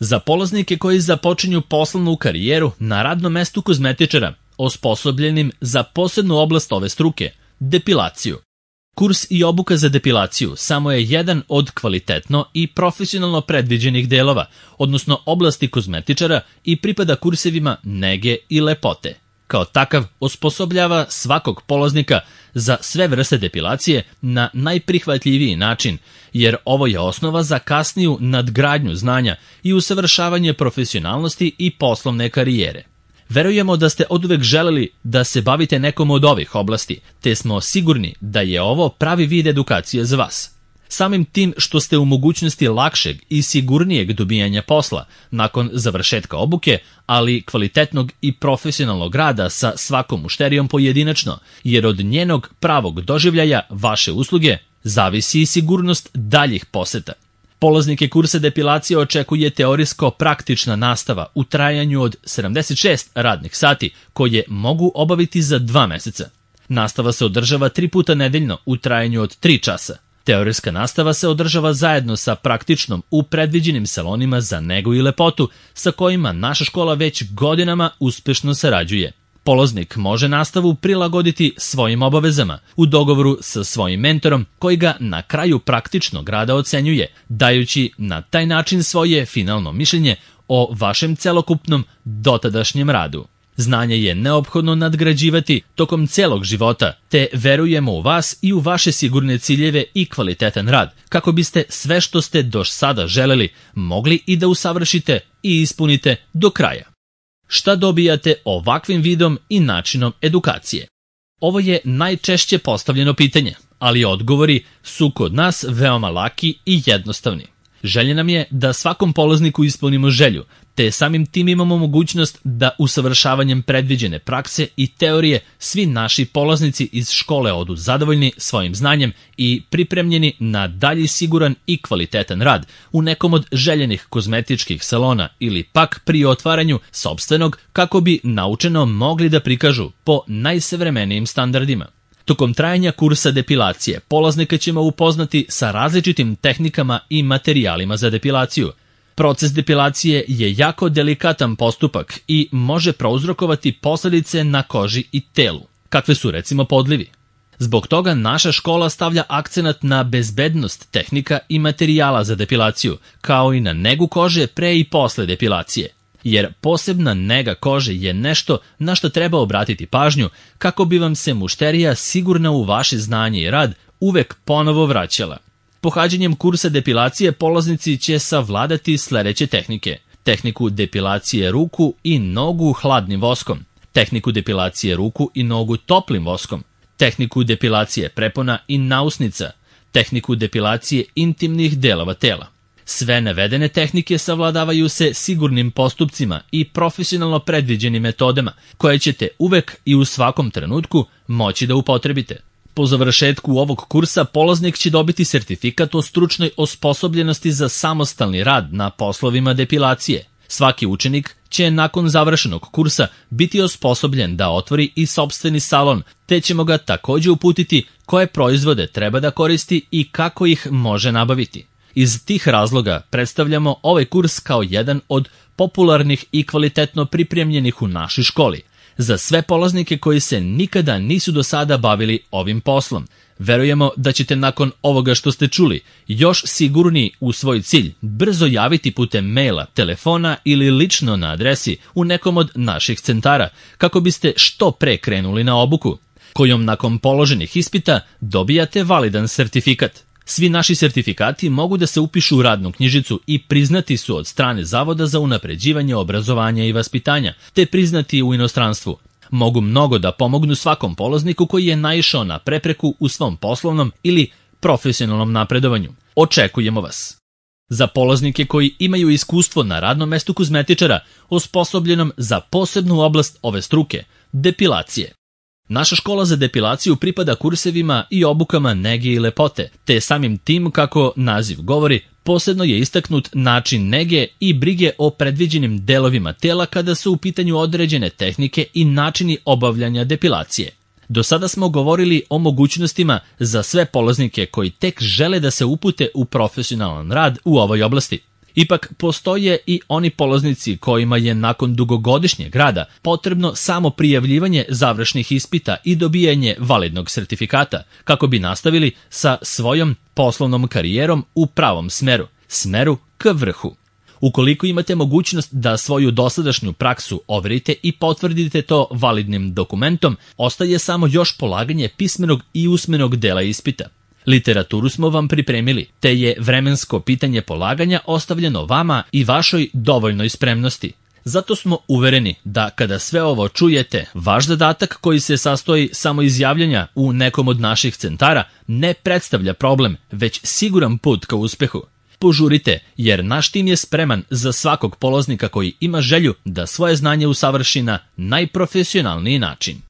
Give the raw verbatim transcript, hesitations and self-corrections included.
Za polaznike koji započinju poslovnu karijeru na radnom mestu kozmetičara, osposobljenim za posebnu oblast ove struke, depilaciju. Kurs i obuka za depilaciju samo je jedan od kvalitetno i profesionalno predviđenih delova, odnosno oblasti kozmetičara i pripada kursevima nege i lepote. Kao takav osposobljava svakog polaznika za sve vrste depilacije na najprihvatljiviji način, jer ovo je osnova za kasniju nadgradnju znanja i usavršavanje profesionalnosti i poslovne karijere. Verujemo da ste oduvek želeli da se bavite nekom od ovih oblasti, te smo sigurni da je ovo pravi vid edukacije za vas. Samim tim što ste u mogućnosti lakšeg i sigurnijeg dobijanja posla nakon završetka obuke, ali kvalitetnog i profesionalnog rada sa svakom mušterijom pojedinačno, jer od njenog pravog doživljaja vaše usluge zavisi i sigurnost daljih poseta. Polaznike kursa depilacije očekuje teorijsko-praktična nastava u trajanju od sedamdeset šest radnih sati, koje mogu obaviti za dva meseca. Nastava se održava tri puta nedeljno u trajanju od tri časa. Teorijska nastava se održava zajedno sa praktičnom u predviđenim salonima za negu i lepotu, sa kojima naša škola već godinama uspešno sarađuje. Polaznik može nastavu prilagoditi svojim obavezama u dogovoru sa svojim mentorom koji ga na kraju praktičnog rada ocenjuje, dajući na taj način svoje finalno mišljenje o vašem celokupnom dotadašnjem radu. Znanje je neophodno nadgrađivati tokom celog života, te verujemo u vas i u vaše sigurne ciljeve i kvalitetan rad, kako biste sve što ste do sada želeli mogli i da usavršite i ispunite do kraja. Šta dobijate ovakvim vidom i načinom edukacije? Ovo je najčešće postavljeno pitanje, ali odgovori su kod nas veoma laki i jednostavni. Želja nam je da svakom polazniku ispunimo želju, te samim tim imamo mogućnost da usavršavanjem predviđene prakse i teorije svi naši polaznici iz škole odu zadovoljni svojim znanjem i pripremljeni na dalji siguran i kvalitetan rad u nekom od željenih kozmetičkih salona ili pak pri otvaranju sopstvenog kako bi naučeno mogli da prikažu po najsavremenijim standardima. Tokom trajanja kursa depilacije polaznika ćemo upoznati sa različitim tehnikama i materijalima za depilaciju. Proces depilacije je jako delikatan postupak i može prouzrokovati posledice na koži i telu, kakve su recimo podlivi. Zbog toga naša škola stavlja akcenat na bezbednost tehnika i materijala za depilaciju, kao i na negu kože pre i posle depilacije. Jer posebna nega kože je nešto na što treba obratiti pažnju kako bi vam se mušterija sigurna u vaše znanje i rad uvek ponovo vraćala. Pohađanjem kursa depilacije polaznici će savladati sledeće tehnike: tehniku depilacije ruku i nogu hladnim voskom, tehniku depilacije ruku i nogu toplim voskom, tehniku depilacije prepona i nausnica, tehniku depilacije intimnih delova tela. Sve navedene tehnike savladavaju se sigurnim postupcima i profesionalno predviđenim metodama, koje ćete uvek i u svakom trenutku moći da upotrebite. Po završetku ovog kursa polaznik će dobiti sertifikat o stručnoj osposobljenosti za samostalni rad na poslovima depilacije. Svaki učenik će nakon završenog kursa biti osposobljen da otvori i sopstveni salon, te ćemo ga takođe uputiti koje proizvode treba da koristi i kako ih može nabaviti. Iz tih razloga predstavljamo ovaj kurs kao jedan od popularnih i kvalitetno pripremljenih u našoj školi. Za sve polaznike koji se nikada nisu do sada bavili ovim poslom, verujemo da ćete nakon ovoga što ste čuli još sigurniji u svoj cilj brzo javiti putem maila, telefona ili lično na adresi u nekom od naših centara, kako biste što pre krenuli na obuku, kojom nakon položenih ispita dobijate validan sertifikat. Svi naši sertifikati mogu da se upišu u radnu knjižicu i priznati su od strane Zavoda za unapređivanje obrazovanja i vaspitanja, te priznati u inostranstvu. Mogu mnogo da pomognu svakom polazniku koji je naišao na prepreku u svom poslovnom ili profesionalnom napredovanju. Očekujemo vas! Za polaznike koji imaju iskustvo na radnom mestu kozmetičara, osposobljenom za posebnu oblast ove struke, depilacije. Naša škola za depilaciju pripada kursevima i obukama nege i lepote, te samim tim, kako naziv govori, posebno je istaknut način nege i brige o predviđenim delovima tela kada su u pitanju određene tehnike i načini obavljanja depilacije. Do sada smo govorili o mogućnostima za sve polaznike koji tek žele da se upute u profesionalan rad u ovoj oblasti. Ipak postoje i oni polaznici kojima je nakon dugogodišnjeg rada potrebno samo prijavljivanje završnih ispita i dobijanje validnog sertifikata kako bi nastavili sa svojom poslovnom karijerom u pravom smeru, smeru k vrhu. Ukoliko imate mogućnost da svoju dosadašnju praksu overite i potvrdite to validnim dokumentom, ostaje samo još polaganje pismenog i usmenog dela ispita. Literaturu smo vam pripremili, te je vremensko pitanje polaganja ostavljeno vama i vašoj dovoljnoj spremnosti. Zato smo uvereni da kada sve ovo čujete, vaš zadatak koji se sastoji samo iz javljanja u nekom od naših centara ne predstavlja problem, već siguran put ka uspehu. Požurite, jer naš tim je spreman za svakog polaznika koji ima želju da svoje znanje usavrši na najprofesionalniji način.